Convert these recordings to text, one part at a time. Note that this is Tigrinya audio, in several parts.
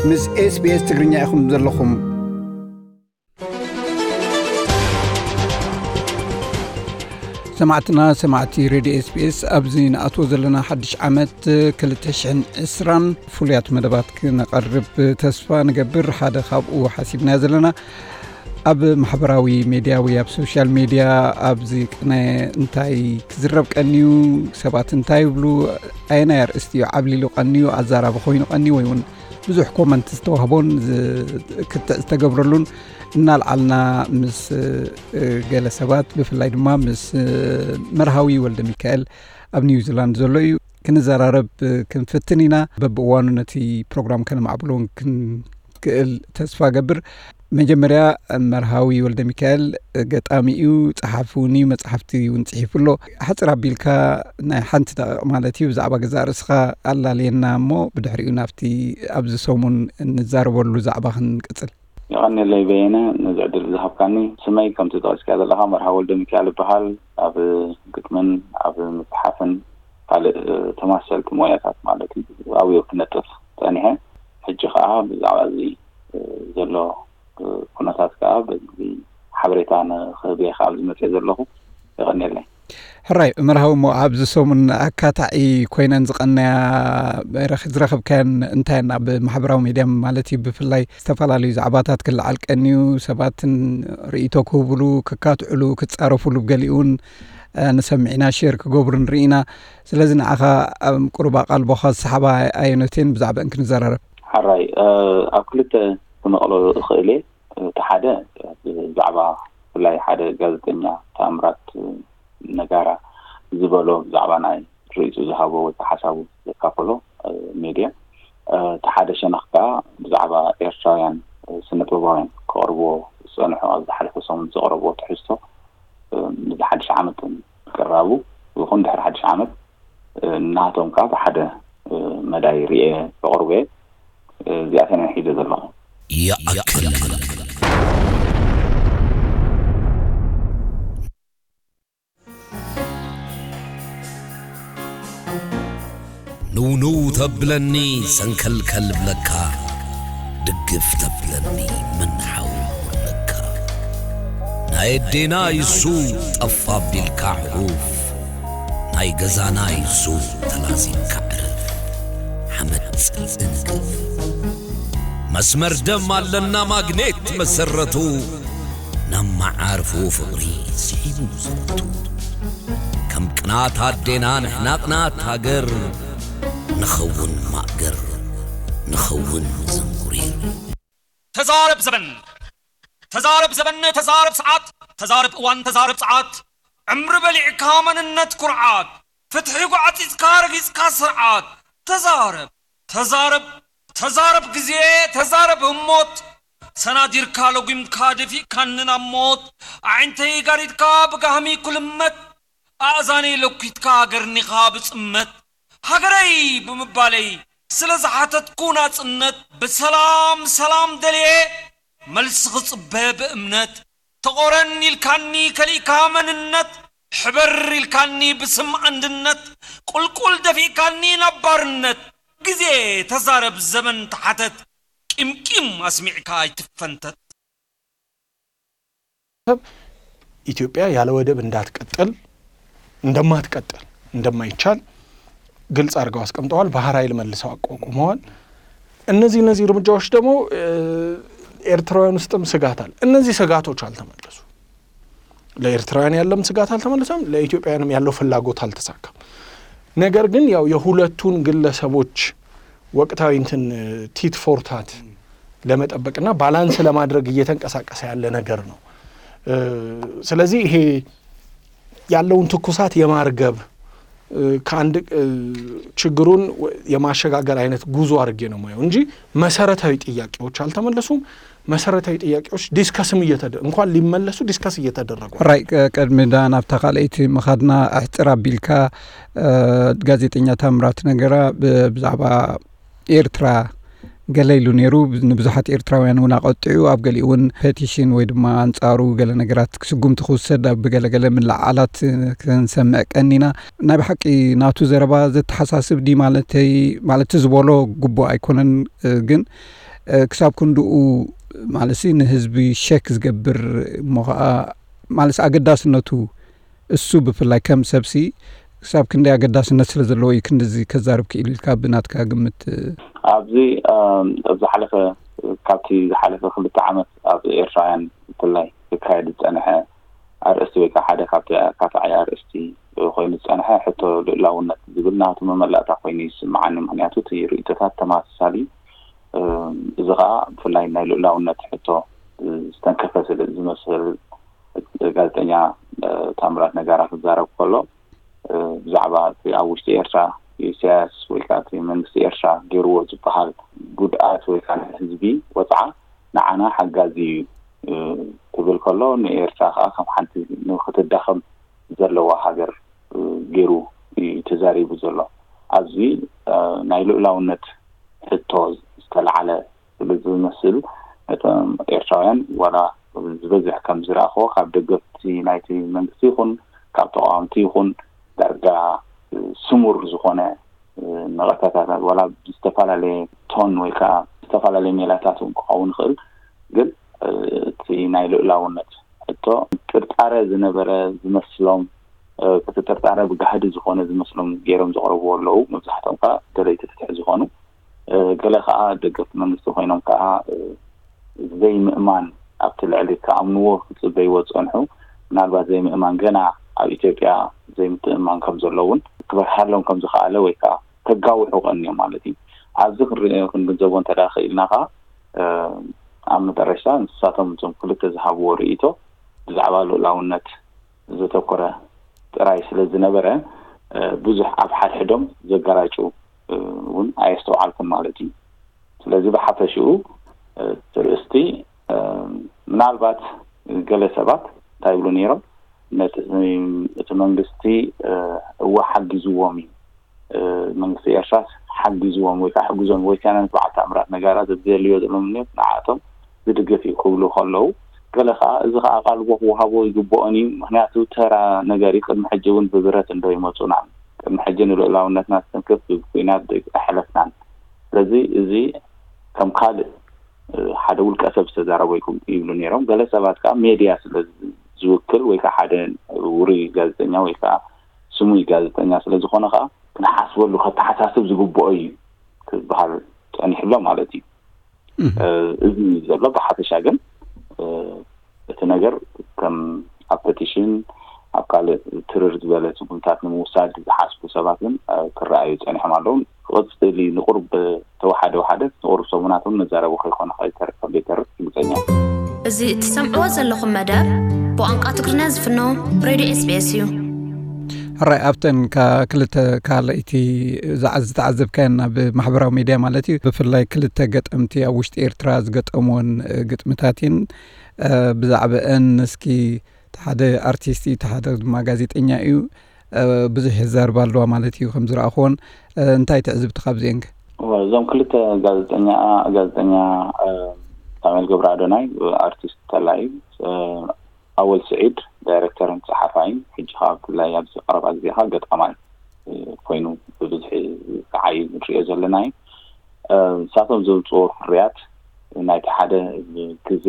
ምስ SBS ትግርኛ ኢኹም ዘለኹም። ሰማዕትና፣ ሰማዕቲ ሬድዮ SBS፣ ኣብዚ ንኣትዎ ዘለና ሓድሽ ዓመት ክልተ ሽሕን ዕስራን ፍሉያት መደባት ክነቐርብ ተስፋ ንገብር። ሓደ ካብኡ ሓሲብናዮ ዘለና ኣብ ማሕበራዊ ሜድያ ወይ ኣብ ሶሻል ሜድያ ኣብዚ ቅነ እንታይ ክዝረብ ቀንዩ፣ ሰባት እንታይ ይብሉ፣ ኣየናይ ኣርእስቲ እዩ ዓብሊሉ ቀንዩ፣ ኣዛራቢ ኮይኑ ቀንዩ ወይ እውን ብዙሕ ኮመንት ዝተዋህቦን ዝ-፣ ክትዕ ዝተገብረሉን እናልዓልና ምስ፣ እ፣ ገለ ሰባት ብፍላይ ድማ ምስ፣ እ፣ መርሃዊ ወልደ ሚካኤል ኣብ ኒውዚላንድ ዘሎ እዩ ክንዘራረብ ክንፍትን ኢና። በብእዋኑ ነቲ ፕሮግራም ከነማዕብሎ እውን ክንክእል ተስፋ ገብር። መጀመርያ መርሃዊ ወልደ ሚካኤል ገጣሚ እዩ፣ ጸሓፊ እውን እዩ፣ መጽሓፍቲ እውን ጽሒፉ ኣሎ። ሓጽር ኣቢልካ ናይ ሓንቲ ደቂቕ ማለት እዩ ብዛዕባ ገዛእ ርእስኻ ኣላልየና እሞ ብድሕሪኡ ናብቲ ኣብዚ ሰሙን እንዛረበሉ ዛዕባ ክንቅጽል። የቐንየለይ በየነ ነዚ ዕድል ዝሃብካኒ። ስመይ ከምቲ ጠቒስካ ዘለኻ መርሃዊ ወልደ ሚካኤል ይበሃል። ኣብ ግጥምን ኣብ ምጽሓፍን ካልእ ተመሳሰልቲ ሞያታት ማለት እዩ ኣብኡ ክነጥፍ ጸኒሐ። ሕጂ ከኣ ብዛዕባ እዚ ዘሎ ኩነታት ከኣ በዚ ሓበሬታ ንክህብ እየ ከኣ ኣብዚ መጽየ ዘለኹ። የቐንየለይ። ሕራይ መርሃዊ፣ እሞ ኣብዚ ሰሙን ኣካታዒ ኮይነን ዝቐነያ ረኽ-፣ ዝረኸብካየን እንታየን ኣብ ማሕበራዊ ሜድያ ማለት እዩ፣ ብፍላይ ዝተፈላለዩ ዛዕባታት ክለዓል ቀንዩ፣ ሰባትን ርእይቶ ክህብሉ፣ ክካትዕሉ፣ ክጻረፉሉ፣ ብገሊኡ እውን፣ እ፣ ንሰምዕ ኢና፣ ሼር ክገብሩ ንርኢ ኢና። ስለዚ ንዓኻ ኣብ ቁሩብ ኣቓልቦኻ ዝሰሓባ ኣየኖት እየን? ብዛዕባአን ክንዘራረብ። ሕራይ፣ እ፣ ኣብ ክልተ ክመቕሎ እኽእል እየ። እቲ ሓደ ብዛዕባ ብፍላይ ሓደ ጋዜጠኛ ተኣምራት ነጋራ ዝበሎ ብዛዕባ ናይ ርእይቱ ዝሃቦ ወይ ከዓ ሓሳቡ ዘካፈሎ፣ እ፣ ሜድያ፣ እ፣ እቲ ሓደ ሸነኽ ከዓ ብዛዕባ ኤርትራውያን፣ እ፣ ስነ ጥበባውያን ከቕርብዎ ዝጸንሑ ኣብ ዝሓለፈ ሰሙን ዘቕረብዎ ትሕዝቶ፣ እ፣ ንዚ ሓድሽ ዓመት ቅራቡ ይኹን ድሕሪ ሓድሽ ዓመት፣ እ፣ ናቶም ከዓ ብሓደ፣ እ፣ መዳይ ርእየ ከቕርቦ እየ። እ፣ እዚኣተን እየ ሒዘ ዘለኹ። ይኣክል። ንውንው ተብለኒ ሰንከልከል ብለካ፣ ድግፍ ተብለኒ ምንሓው ብለካ። ናይ ኣዴና ይሱ ጠፋ ቢልካ ሕቑፍ፣ ናይ ገዛና ይሱ ተላዚምካ ዕረፍ። ሓመድ ጽልኢ ንግፍ። መስመር ደም ኣለና ማግኔት መሰረቱ፣ ናብ መዓርፎ ፍቕሪ ስሒቡ ዘወቱ። ከም ቅናት ኣዴና ንሕና ቅናት ሃገር፣ ንኸውን ማእገር፣ ንኸውን ዝንጉሪር። ተዛረብ ዘበን፣ ተዛረብ ዘበን፣ ተዛረብ ሰዓት፣ ተዛረብ እዋን፣ ተዛረብ ሰዓት። ዕምሪ በሊዕካ መንነት ኩርዓት፣ ፍትሒ ጓዕጺጽካ ረጊጽካ ስርዓት። ተዛረብ፣ ተዛረብ፣ ተዛረብ ግዜ፣ ተዛረብ ህሞት። ሰናዲርካ ለጒምካ ደፊእካኒ ናብ ሞት፣ ኣዒንተይ ጋሪድካ ብጋህሚ ኩልመት፣ ኣእዛነይ ለኲትካ ገርኒኻ ብጽመት። ሃገረይ ብምባለይ ስለ ዝሓተትኩ ናጽነት፣ ብሰላም ሰላም ደልየ መልሲ ክጽበ ብእምነት። ተቖረን ኢልካኒ ከሊእካ መንነት፣ ሕበር ኢልካኒ ብስም ኣንድነት፣ ቁልቁል ደፊእካኒ ናብ ባርነት። ግዜ ተዛረብ ዘመን ተሓተት፣ ቂምቂም ኣስሚዕካ ኣይትፈንተት። ኢትዮጵያ ያለ ወደብ እንዳትቀጥል፣ እንደማትቀጥል፣ እንደማይቻል ግልጽ አድርገው አስቀምጠዋል። ባህር ኃይል መልሰው አቋቁመዋል። እነዚህ እነዚህ እርምጃዎች ደግሞ፣ እ፣ ኤርትራውያን ውስጥም ስጋት አለ። እነዚህ ስጋቶች አልተመለሱም። ለኤርትራውያን ያለም ስጋት አልተመለሰም፣ ለኢትዮጵያውያንም ያለው ፍላጎት አልተሳካም። ነገር ግን ያው የሁለቱን ግለሰቦች ወቅታዊ እንትን ቲት ፎር ታት ለመጠበቅና ባላንስ ለማድረግ እየተንቀሳቀሰ ያለ ነገር ነው። እ፣ ስለዚህ ይሄ ያለውን ትኩሳት የማርገብ፣ እ፣ ከአንድ፣ እ፣ ችግሩን ወ-፣ የማሸጋገር አይነት ጉዞ አድርጌ ነው የማየው እንጂ መሰረታዊ ጥያቄዎች አልተመለሱም። መሰረታዊ ጥያቄዎች ዲስከስም እየተደ-፣ እንኳን ሊመለሱ ዲስከስ እየተደረጉ። ራይ፣ ቀ-፣ ቅድሚ ዳ ናብታ ካልኣይቲ ምኻድና ኣሕጽር ኣቢልካ፣ እ፣ ጋዜጠኛ ታምራት ነገራ ብ-፣ ብዛዕባ ኤርትራ ገለ ኢሉ ነይሩ። ንብዙሓት ኤርትራውያን እውን ኣቐጢዑ፣ ኣብ ገሊኡ እውን ፔቲሽን ወይ ድማ ኣንጻሩ ገለ ነገራት ስጉምቲ ክውሰድ ኣብ ገለ ገለ ምልዓዓላት ክንሰምዕ ቀኒና። ናይ ብሓቂ ናቱ ዘረባ ዘተሓሳስብ ድዩ ማለተይ፣ ማለት ዝበሎ ግቡእ ኣይኮነን፣ ግን ክሳብ ክንድኡ ማለት ንህዝቢ ሸክ ዝገብር እሞ ከዓ ማለት ኣገዳስነቱ እሱ ብፍላይ ከም ሰብሲ ክሳብ ክንደይ ኣገዳስነት ስለ ዘለዎ እዩ ክንድዚ ከዛርብ ክኢሉ ኢልካ ብናትካ ግምት? ኣብዚ ኣብዚ ዝሓለፈ ካብቲ ዝሓለፈ ክልተ ዓመት ኣብ ኤርትራውያን ብፍላይ ክካየድ ዝፀንሐ ኣርእስቲ ወይ ከዓ ሓደ ካብቲ ኣካታዒ ኣርእስቲ ኮይኑ ዝፀንሐ ሕቶ ልእላውነት ዝብል ናቱ መመላእታ ኮይኑ ይስምዓኒ። ምክንያቱ እቲ ርእቶታት ተማሳሳሊ እዚ ከዓ ብፍላይ ናይ ልእላውነት ሕቶ ዝተንከፈ ስለ ዝመስል ጋዜጠኛ ታምራት ነጋራ ክዛረብ ከሎ ብዛዕባ እቲ ኣብ ውሽጢ ኤርትራ ኢሳያስ ወይ ከዓ እቲ መንግስቲ ኤርትራ ገይርዎ ዝበሃል ጉድኣት ወይ ከዓ ንህዝቢ ወፅዓ ንዓና ሓጋዚ እዩ ክብል ከሎ ንኤርትራ ከዓ ከም ሓንቲ ንክትዳኸም ዘለዋ ሃገር ገይሩ እዩ ተዛሪቡ ዘሎ። ኣብዚ ናይ ልኡላውነት ሕቶ ዝተለዓለ ስለ ዝመስል ነቶም ኤርትራውያን ዋላ ዝበዝሕ ከም ዝረኣኽዎ ካብ ደገፍቲ ናይቲ መንግስቲ ይኹን ካብ ተቃወምቲ ይኹን ዳርጋ ስሙር ዝኾነ ነቐፈታታት ዋላ ብዝተፈላለየ ቶን ወይ ከዓ ዝተፈላለየ ሜላታት እውን ክኸውን ይኽእል። ግን እቲ ናይ ልኡላውነት ሕቶ ጥርጣረ ዝነበረ ዝመስሎም እቲ ጥርጣረ ብጋህዲ ዝኾነ ዝመስሎም ገይሮም ዘቕርብዎ ኣለዉ። መብዛሕትኦም ከዓ ደለይቲ ፍትሒ ዝኾኑ ገለ ከዓ ደገፍቲ መንግስቲ ኮይኖም ከዓ ዘይምእማን ኣብቲ ልዕሊ ክኣምንዎ ክፅበይዎ ዝፀንሑ ምናልባት ዘይምእማን ገና ኣብ ኢትዮጵያ ዘይምትእማን ከም ዘሎ እውን ክበርሃሎም ከም ዝኸኣለ ወይ ከዓ ከጋውሑ ቀንዮም ማለት እዩ። ኣብዚ ክንግንዘቦ እንተ ክኢልና ከዓ ኣብ መጠረሽታ ንሳቶም እቶም ክልተ ዝሃብዎ ርእይቶ ብዛዕባ ልኡላውነት ዘተኮረ ጥራይ ስለ ዝነበረ ብዙሕ ኣብ ሓድሕዶም ዘጋራጩ እውን ኣየስተውዓልኩን ማለት እዩ። ስለዚ ብሓፈሽኡ እቲ ርእስቲ ምናልባት ገለ ሰባት እንታይ ይብሉ ነይሮም ነቲ እቲ መንግስቲ እወ ሓጊዝዎም እዩ መንግስቲ ኤርትራስ ሓጊዝዎም ወይ ከዓ ሕግዞም ወይ ከዓ በዓል ታምራት ነጋራ ዘድልዮ ዘለዎም ንዓቶም ዝድግፍ እዩ ክብሉ ከለዉ ገለ ከዓ እዚ ከዓ ቃልቦ ክወሃቦ ይግብኦን እዩ። ምክንያቱ ተራ ነገር እዩ። ቅድሚ ሕጂ እውን ብብረት እንዶ ይመፁና ቅድሚ ሕጂ ንልኡላውነትና ዝተንክፍ ብኩናት ኣይሓለፍናን። ስለዚ እዚ ከም ካልእ ሓደ ውልቀ ሰብ ዝተዛረበ ይብሉ ነይሮም። ገለ ሰባት ከዓ ሜድያ ስለ ዝውክል ወይ ከዓ ሓደ ውሩይ ጋዜጠኛ ወይ ከዓ ስሙይ ጋዜጠኛ ስለ ዝኾነ ከዓ ክንሓስበሉ ከተሓሳስብ ዝግብኦ እዩ ክበሃል ፀኒሕሎ ማለት እዩ። እዚ ዘሎ ብሓፈሻ ግን እቲ ነገር ከም ኣብ ፐቲሽን ኣብ ካልእ ትርር ዝበለ ስጉምታት ንምውሳድ ዝሓስቡ ሰባት ግን ክረኣዩ ፀኒሖም ኣለዉ። ክቕፅል እዩ ንቁርብ ተወሓደ ወሓደ ንቁርብ ሰሙናት እውን መዛረቢ ከይኮነ ከይተርፍ ከም ዘይተርፍ ግልፀኛ እዩ። እዚ እትሰምዕዎ ዘለኹም መደብ ብቋንቋ ትግርኛ ዝፍኖ ሬድዮ ኤስቢኤስ እዩ። ሕራይ ኣብተን ክልተ ካልኣይቲ ዝተዓዘብካየን ኣብ ማሕበራዊ ሚድያ ማለት እዩ ብፍላይ ክልተ ገጠምቲ ኣብ ውሽጢ ኤርትራ ዝገጠምዎን ግጥምታት እየን። ብዛዕባአን እስኪ ሓደ ኣርቲስት እዩ ሓደ ድማ ጋዜጠኛ እዩ ብዙሕ የዛርባ ኣለዋ ማለት እዩ ከም ዝረኣኽዎን እንታይ ትዕዝብቲ ካብዚአን? እዞም ክልተ ጋዜጠኛ ጋዜጠኛ ሳሙኤል ገብረ ኣዶናይ ኣርቲስት ተላይ ኣወል ስዒድ ዳይሬክተርን ፀሓፋይን ሕጂ ከዓ ብፍላይ ኣብዚ ቀረባ ግዜ ከዓ ገጣማይ ኮይኑ ብብዝሒ ዝዓይ ንሪኦ ዘለና እዩ። ንሳቶም ዘውፅዎ ፍርያት ናይቲ ሓደ ግዜ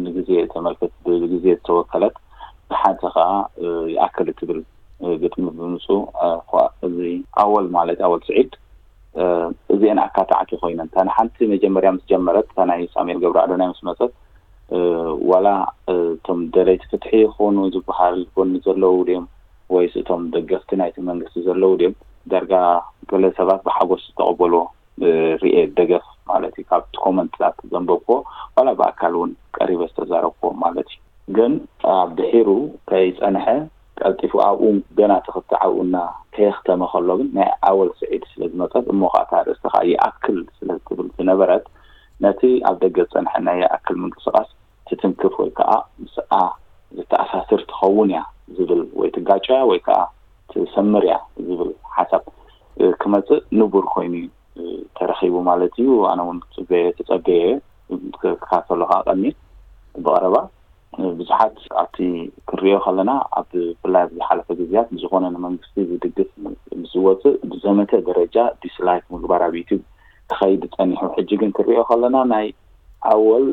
ንግዜ ተመልክት ብግዜ ዝተወከለት ንሓንቲ ከዓ ይኣክል እትብል ግጥሚ ብምፁ እዚ ኣወል ማለት ኣወል ስዒድ እዚአን ኣካታዕቲ ኮይነን እታ ንሓንቲ መጀመርያ ምስ ጀመረት እታ ናይ ሳሙኤል ገብረ ኣዶናይ ምስ መፀት ዋላ እቶም ደለይቲ ፍትሒ ይኾኑ ዝበሃል ጎኒ ዘለዉ ድዮም ወይስ እቶም ደገፍቲ ናይቲ መንግስቲ ዘለዉ ድዮም ዳርጋ ገለ ሰባት ብሓጎስ ዝተቐበልዎ ርኤ ደገፍ ማለት እዩ። ካብቲ ኮመንትታት ዘንበብክዎ ዋላ ብኣካል እውን ቀሪበ ዝተዛረብክዎ ማለት እዩ። ግን ኣብ ድሒሩ ከይፀንሐ ቀልጢፉ ኣብኡ ገና ተኽቲ ዓብኡና ከየኽተመ ከሎ ግን ናይ ኣወል ስዒድ ስለ ዝመፀት እሞ ከዓ እታ ኣርእስቲ ከዓ ይኣክል ስለ ትብል ዝነበረት ነቲ ኣብ ደገ ዝፀንሐ ናይ ይኣክል ምንቅስቃስ ትትንክፍ ወይ ከዓ ምስኣ ዝተኣሳስር ትኸውን እያ ዝብል ወይ ትጋጨያ ወይ ከዓ ትሰምር እያ ዝብል ሓሳብ ክመፅእ ንቡር ኮይኑ እዩ ተረኺቡ ማለት እዩ። ኣነ እውን ተፀበየ ተፀበየ ክከታተሎ ከዓ ቀኒ ብቐረባ ብዙሓት ኣብቲ ክንሪኦ ከለና ኣብ ብፍላይ ኣብ ዝሓለፈ ግዜያት ንዝኾነ ንመንግስቲ ዝድግፍ ምስ ዝወፅእ ብዘመተ ደረጃ ዲስላይክ ምግባር ኣብ ዩቲብ ክኸይድ ጸኒሑ። ሕጂ ግን ክሪኦ ከለና ናይ ኣወል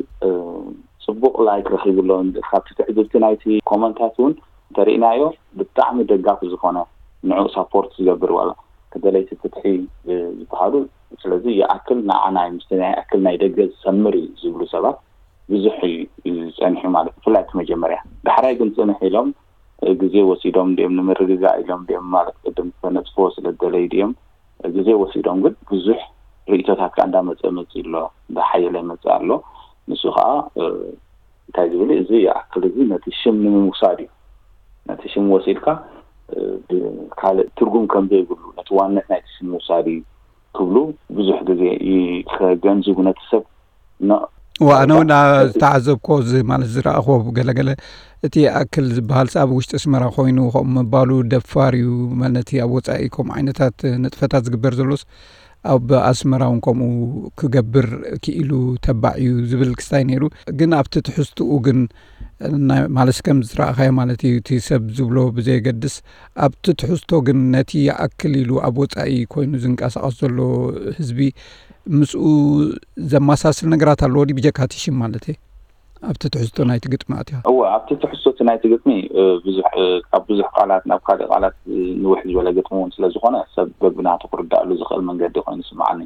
ጽቡቕ ላይክ ረኺቡ ኣሎ። ካብቲ ትዕዝብቲ ናይቲ ኮመንታት እውን እንተርኢናዮ ብጣዕሚ ደጋፊ ዝኾነ ንዑ ሳፖርት ዝገብር ዋላ ከደለይቲ ፍትሒ ዝበሃሉ። ስለዚ ይኣክል ንዓና ምስቲ ናይ ኣክል ናይ ደገ ዝሰምር እዩ ዝብሉ ሰባት ብዙሕ እዩ ጸኒሑ ማለት ብፍላይ እቲ መጀመርያ። ዳሕራይ ግን ጽንሕ ኢሎም ግዜ ወሲዶም ድም ንምርግጋእ ኢሎም ድም ማለት ቅድም ተነጽፎ ስለ ደለዩ ድም ግዜ ወሲዶም ግን ብዙሕ ርእቶታት ከኣ እንዳመጸ መጽእ ኣሎ፣ እንዳሓየለ ይመጽእ ኣሎ። ንሱ ከኣ እንታይ ዝብል እዚ ይኣክል እዚ ነቲ ሽም ንምውሳድ እዩ። ነቲ ሽም ወሲድካ ካልእ ትርጉም ከም ዘይብሉ ነቲ ዋነት ናይቲ ሽም ምውሳድ እዩ ክብሉ ብዙሕ ግዜ ከገንዝቡ ነቲ ሰብ ዋ ኣነ እውን ዝተዓዘብኮ እዚ ማለት ዝረኣኽዎ ገለገለ እቲ ኣክል ዝበሃል ኣብ ውሽጢ ኣስመራ ኮይኑ ከምኡ ምባሉ ደፋር እዩ። ነቲ ኣብ ወፃኢ ከምኡ ዓይነታት ንጥፈታት ዝግበር ዘሎስ ኣብ ኣስመራ እውን ከምኡ ክገብር ክኢሉ ተባዕ እዩ ዝብል ክስታይ ነይሩ። ግን ኣብቲ ትሕዝትኡ ግን ማለት ከም ዝረኣኻዮ ማለት እዩ እቲ ሰብ ዝብሎ ብዘየገድስ ኣብቲ ትሕዝቶ ግን ነቲ ይኣክል ኢሉ ኣብ ወፃኢ ኮይኑ ዝንቀሳቐስ ዘሎ ህዝቢ ምስኡ ዘመሳስል ነገራት ኣለዎ ድዩ ብጀካ እቲ ሽም ማለት እየ? ኣብቲ ትሕዝቶ ናይቲ ግጥሚ ኣትያ። እወ ኣብቲ ትሕዝቶ እቲ ናይቲ ግጥሚ ብዙሕ ካብ ብዙሕ ቃላት ናብ ካልእ ቃላት ንውሕ ዝበለ ግጥሚ እውን ስለ ዝኾነ ሰብ በብናቱ ክርዳእሉ ዝኽእል መንገዲ ኮይኑ ይስምዓኒ።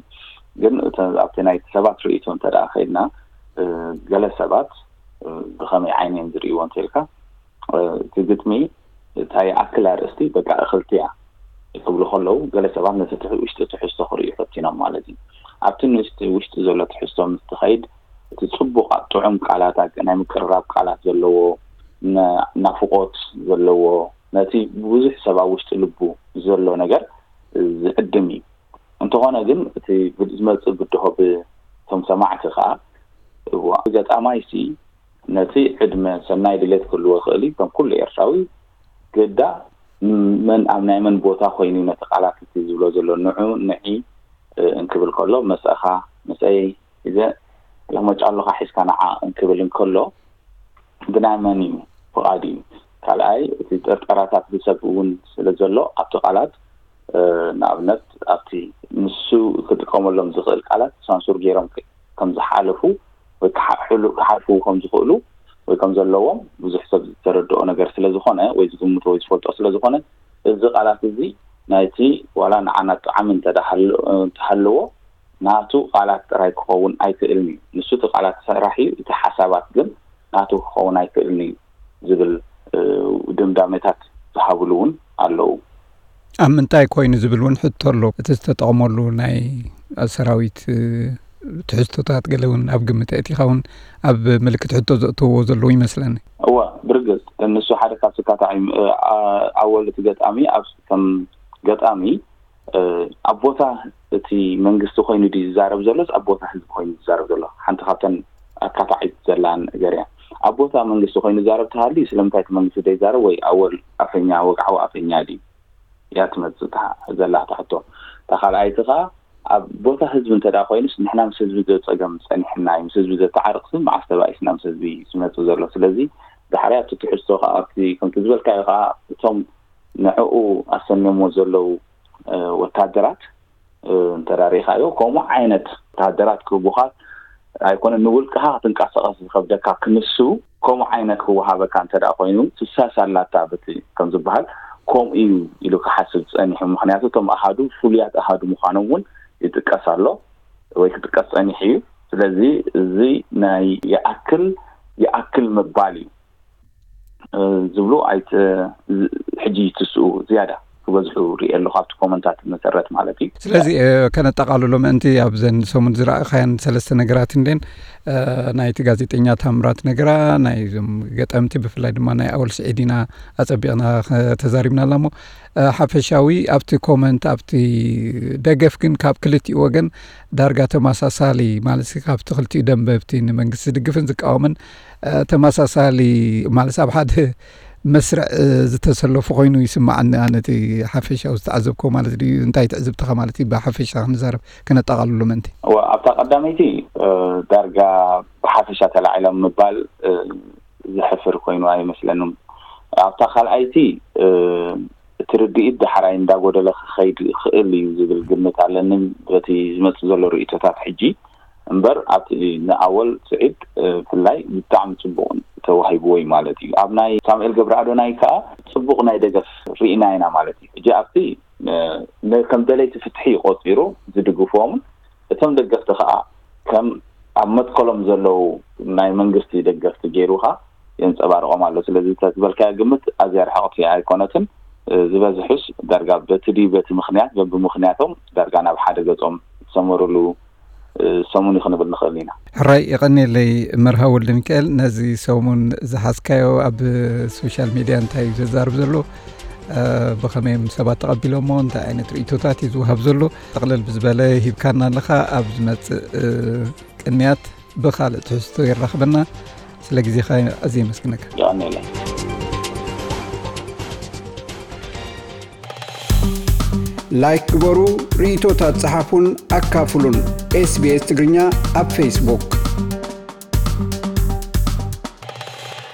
ግን ኣብቲ ናይቲ ሰባት ርእይቶ እንተ ደኣ ከይድና ገለ ሰባት ብኸመይ ዓይኒ እዮም ዝርእይዎ እንተኢልካ እቲ ግጥሚ እንታይ ይኣክል ኣርእስቲ በቃ እኽልቲ እያ ክብሉ ከለዉ ገለ ሰባት ነቲ ውሽጢ ትሕዝቶ ክርእዩ ፈቲኖም ማለት እዩ። ኣብቲ ንውሽጢ ውሽጢ ዘሎ ትሕዝቶ ምስ ትኸይድ እቲ ፅቡቕ ጥዑም ቃላት ናይ ምቅርራብ ቃላት ዘለዎ ናፍቆት ዘለዎ ነቲ ብዙሕ ሰብ ኣብ ውሽጢ ልቡ ዘሎ ነገር ዝዕድም እዩ። እንተኾነ ግን እቲ ዝመፅእ ብድሆ ብቶም ሰማዕቲ ከዓ ገጣማይሲ ነቲ ዕድመ ሰናይ ድሌት ክህልዎ ይኽእል እዩ ከም ኩሉ ኤርትራዊ ግዳ መን ኣብ ናይ መን ቦታ ኮይኑ ነቲ ቃላት እቲ ዝብሎ ዘሎ ንዑ ንዒ እንክብል ከሎ መሰእኻ መሰይ ሒዘ ለመጫ ኣለኻ ሒዝካ ንዓ እንክብል እንከሎ ብናይ መን እዩ ፍቓድ እዩ። ካልኣይ እቲ ጥርጠራታት ብሰብ እውን ስለ ዘሎ ኣብቲ ቃላት ንኣብነት ኣብቲ ንሱ ክጥቀመሎም ዝኽእል ቃላት ሳንሱር ገይሮም ከም ዝሓለፉ ወይ ክሓልፉ ከም ዝኽእሉ ወይ ከም ዘለዎም ብዙሕ ሰብ ዝተረድኦ ነገር ስለ ዝኾነ ወይ ዝግምቶ ወይ ዝፈልጦ ስለ ዝኾነ እዚ ቃላት እዚ ናይቲ ዋላ ንዓና ጥዓሚ እንተሃለዎ ናቱ ቃላት ጥራይ ክኸውን ኣይክእልን እዩ። ንሱ እቲ ቃላት ሰራሕ እዩ፣ እቲ ሓሳባት ግን ናቱ ክኸውን ኣይክእልን እዩ ዝብል ድምዳሜታት ዝሃብሉ እውን ኣለዉ። ኣብ ምንታይ ኮይኑ ዝብል እውን ሕቶ ኣሎ። እቲ ዝተጠቕመሉ ናይ ሰራዊት ትሕዝቶታት ገለ እውን ኣብ ግምት ኣእቲኻ እውን ኣብ ምልክት ሕቶ ዘእተውዎ ዘለዉ ይመስለኒ። እወ ብርግጽ ንሱ ሓደ ካብ ስካታዒ ኣወል እቲ ገጣሚ ኣብ ከም ገጣሚ ኣብ ቦታ እቲ መንግስቲ ኮይኑ ድዩ ዝዛረብ ዘሎስ ኣብ ቦታ ህዝቢ ኮይኑ ዝዛረብ ዘሎ? ሓንቲ ካብተን ኣካታዒት ዘላ ነገር እያ። ኣብ ቦታ መንግስቲ ኮይኑ ዝዛረብ ተሃልዩ ስለምንታይ እቲ መንግስቲ ዘይዛረብ ወይ ኣወል ኣፈኛ ወግዓዊ ኣፈኛ ድዩ? እያ ትመጽእ ዘላ እታ ሕቶ። እታ ካልኣይቲ ከኣ ኣብ ቦታ ህዝቢ እንተ ደኣ ኮይኑስ ንሕና ምስ ህዝቢ ዘጸገም ጸኒሕና እዩ። ምስ ህዝቢ ዘተዓርቕሲ መዓስ ተባኢስና ምስ ህዝቢ ዝመጽእ ዘሎ? ስለዚ ዳሕራይ ኣብቲ ትሕዝቶ ከኣ ኣብቲ ከምቲ ዝበልካዮ ከኣ እቶም ንዕኡ ኣሰንዮሞ ዘለዉ ወታደራት እንተዳሪኻዮ ከምኡ ዓይነት ወታደራት ክህቡኻ ኣይኮነን ንውልቅኻ ክትንቀሳቐስ ዝኸብደካ ክንሱ ከምኡ ዓይነት ክወሃበካ እንተ ደኣ ኮይኑ ትሳስ ኣላታ በቲ ከም ዝበሃል ከምኡ እዩ ኢሉ ክሓስብ ጸኒሑ። ምኽንያቱ እቶም ኣሃዱ ፍሉያት ኣሃዱ ምዃኖም እውን ይጥቀስ ኣሎ ወይ ክጥቀስ ጸኒሑ እዩ። ስለዚ እዚ ናይ ይኣክል ይኣክል ምባል እዩ። ዝብሉ ኣይት ሕጂ ትስኡ ዝያዳ ክበዝሑ ርኢ ኣለኹ ኣብቲ ኮመንታት መሰረት ማለት እዩ። ስለዚ ከነጠቓልሎ ምእንቲ ኣብዘን ሰሙን ዝረኣኻያን ሰለስተ ነገራት እንዴን ናይቲ ጋዜጠኛ ታምራት ነገራ ናይዞም ገጠምቲ ብፍላይ ድማ ናይ ኣወል ስዒድ ኢና ኣጸቢቕና ተዛሪብና ኣላ እሞ ሓፈሻዊ ኣብቲ ኮመንት ኣብቲ ደገፍ ግን ካብ ክልቲኡ ወገን ዳርጋ ተመሳሳሊ ማለት ካብቲ ክልቲኡ ደንበብቲ ንመንግስቲ ዝድግፍን ዝቃወምን ተመሳሳሊ ማለት ኣብ ሓደ መስርዕ ዝተሰለፉ ኮይኑ ይስማዓኒ። ኣነ እቲ ሓፈሻዊ ዝተዓዘብኮ ማለት ድዩ እንታይ ትዕዝብትኻ ማለት እዩ ብሓፈሻ ክንዛረብ ክነጠቓልሎ ምእንቲ። እወ ኣብታ ቀዳመይቲ ዳርጋ ብሓፈሻ ተላዒሎም ምባል ዝሕፍር ኮይኑ ኣይመስለንን። ኣብታ ካልኣይቲ እቲ ትርድኢት ዳሕራይ እንዳጎደለ ክኸይድ ይኽእል እዩ ዝብል ግምት ኣለኒ። በቲ ዝመጽእ ዘሎ ርእይቶታት ሕጂ እምበር ኣብቲ ንኣወል ስዒድ ብፍላይ ብጣዕሚ ጽቡቕ ተዋሂብዎ እዩ ማለት እዩ። ኣብ ናይ ሳሙኤል ገብረኣዶናይ ከኣ ጽቡቕ ናይ ደገፍ ርኢና ኢና ማለት እዩ። ሕጂ ኣብቲ ከም ደለይቲ ፍትሒ ቆጺሩ ዝድግፍዎምን እቶም ደገፍቲ ከኣ ከም ኣብ መትከሎም ዘለዉ ናይ መንግስቲ ደገፍቲ ገይሩ ከኣ የንጸባርቖም ኣሎ። ስለዚ እታ ዝበልካያ ግምት ኣዝያ ርሕቕቲ ኣይኮነትን። ዝበዝሑስ ዳርጋ በቲ ድዩ በቲ ምኽንያት በብምኽንያቶም ዳርጋ ናብ ሓደ ገጾም ዝሰመሩሉ ሰሙን እዩ ክንብል ንኽእል ኢና። ሕራይ የቐንየለይ መርሃ ወልደ ሚካኤል፣ ነዚ ሰሙን ዝሓዝካዮ ኣብ ሶሻል ሚድያ እንታይ እዩ ዘዛርብ ዘሎ፣ ብኸመይ እዮም ሰባት ተቐቢሎሞ፣ እንታይ ዓይነት ርእይቶታት እዩ ዝወሃብ ዘሎ፣ ጠቕለል ብዝበለ ሂብካና ኣለኻ። ኣብ ዝመጽእ ቅንያት ብኻልእ ትሕዝቶ የራኽበና። ስለ ግዜኻ ኣዝየ የመስግነካ። የቐንየለይ። ላይክ ግበሩ፣ ርእይቶታት ጸሓፉን ኣካፍሉን። ኤስቢኤስ ትግርኛ ኣብ ፌስቡክ።